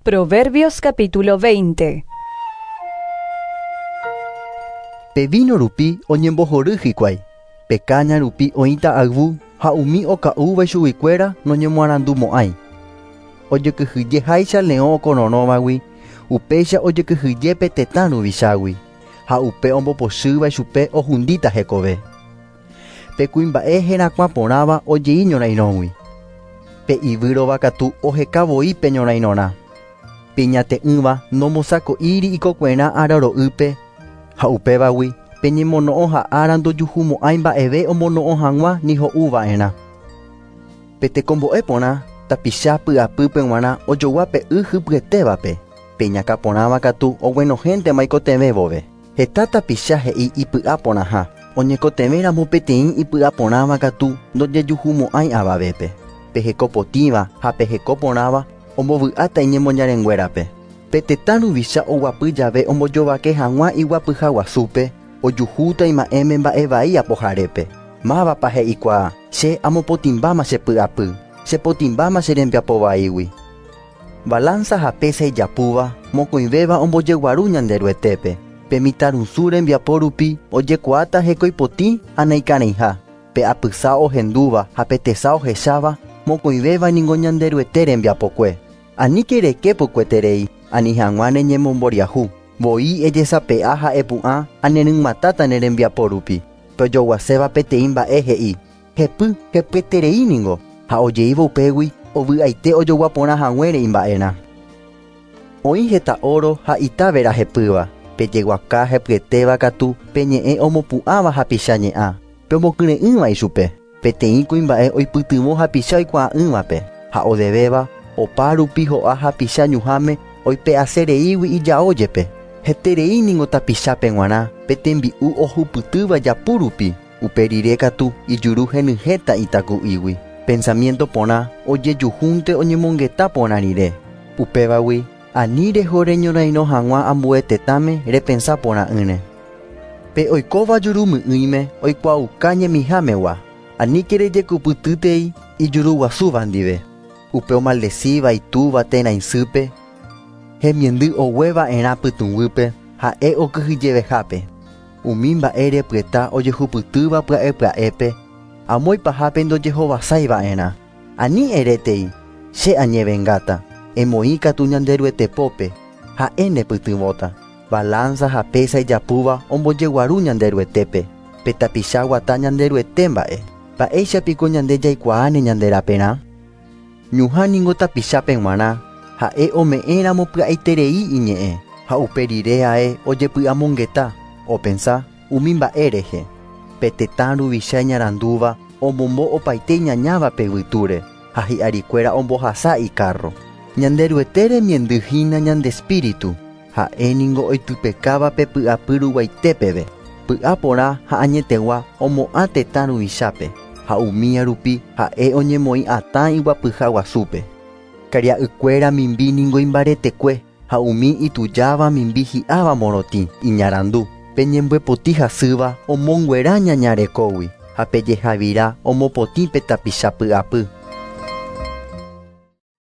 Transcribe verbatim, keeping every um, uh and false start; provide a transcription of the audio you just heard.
Proverbios capítulo veinte. Pe vino rupi oñembohory hikuái, pe caña rupi oĩta ayvu ha umi oka'úva ichuguikuéra noñemoarandumo'ãi. Ojekyhyjeháicha leõ okororõvagui, upéicha ojekyhyje tetã ruvichágui, ha upe ombopochýva ichupe ohundíta hekove. Pe kuimba'e herakuã porãva ojei ñorairõgui. Pe ivýrova katu oheka voi pe ñorairõrã. Pe ñate'ỹva nombosako'íri ikokuerã araro'ýpe ha upévagui pe ñemono'õ ha ára ndojuhumo'ãi mba'eve omono'õ hag̃ua ni ho'uva'erã. Pe tekombo'e porã tapicha py'apýpe g̃uarã ojogua pe y hypyetévape, pe iñakãporãva katu oguenohéntema ikotevẽ vove. Heta tapicha he'i ipy'aporãha, oñekotevẽramo peteĩ ipy'aporãva katu ndojejuhumo'ãi avavépe. Pe hekopotĩva ha pe hekoporãva ombovy'áta iñemoñarenguérape. Pe tetã ruvicha oguapy jave ombojovake hag̃ua iguapyha guasúpe, ojuhúta ima'ẽme mba'evai apoharépe. Mávapa he'ikuaa, che amopotĩmbáma che py'apy, chepotĩmbáma che rembiapovaígui. Balanza ha pesa ijapúva, mokõivéva ombojeguaru Ñanderuetépe. Pe mitãrusu rembiapo rupi ojekuaáta hekoipotĩ ha naikarẽiha. Pe apysa ohendúva ha pe tesa ohecháva, mokõivéva ningo Ñanderuete rembiapokue. Aníke reke pukueterei, ani hag̃ua neñemomboriahu. Voi ejesape'a ha epu'ã ha neryg̃uatãta ne rembiapo rupi. Pe ojoguaséva peteĩ mba'e he'i, hepy hepyeterei ningo, ha ojeíva upégui ovy'aite ojoguaporã haguére imba'erã. Oĩ heta oro ha ita vera hepýva, pe jeguaka hepyetéva katu pe ñe'ẽ omopu'ãva hapicha ñe'ã, pe omokyre'ỹva ichupe. Peteĩ kuimba'e oipytyvõ hapicha oikuaa'ỹvape, ha odevéva opa rupi ho'a hapicha ñuhãme oipe'asereígui ijao jepe. Heterei ningo tapichápe g̃uarã pe tembi'u ohupytýva japu rupi, upe rire katu ijuru henyhẽta itaku'ígui. Pensamiento porã ojejuhúnte oñemongeta porã rire. Upévagui ani reho reñorairõ hag̃ua ambue tetãme repensa porã'ỹre. Pe oikóva jurumy'ỹime oikuaauka ñemihámegua, aníke rejekupytýtei ijuruguasúva ndive. Upe omaldecíva itúva térã isýpe, hemiendy ogueva'erã pytũguýpe ha'e okyhyjevehápe. Umi mba'e repyeta ojehupytýva pya'epya'épe, amo ipahápe ndojehovasaiva'erã. Ani erétei, che añevengáta, emoĩ katu Ñanderuete pópe, ha'e nepytyvõta. Balanza ha pesa ijapúva ombojeguaru Ñanderuetépe, pe tapicha guata Ñanderuete mba'e. Mba'éichapiko ñande jaikuaáne ñanderaperã? Ñuhã ningo tapichápe g̃uarã, ha'e ome'ẽramo pya'eterei iñe'ẽ, ha upe rire ae ojepy'amongeta, opensa umi mba'e rehe. Pe tetã ruvicha iñarandúva omombo opaite iñañávape yvytúre, ha hi'arikuéra ombohasa ikarro. Ñanderuete remiendyhína ñande espíritu, ha'e ningo oitypekáva pe py'apy ruguaitépeve. Py'aporã ha añetegua omo'ã tetã ruvichápe, ha umía rupi ha'e oñemoĩ atã iguapyha guasúpe. Karia'ykuéra mimbi ningo imbaretekue, ha umi itujáva mimbi hi'áva morotĩ iñarandu. Pe ñembyepotĩ hasýva omonguera ñañarekógui, ha pe jehavira omopotĩ pe tapicha py'apy.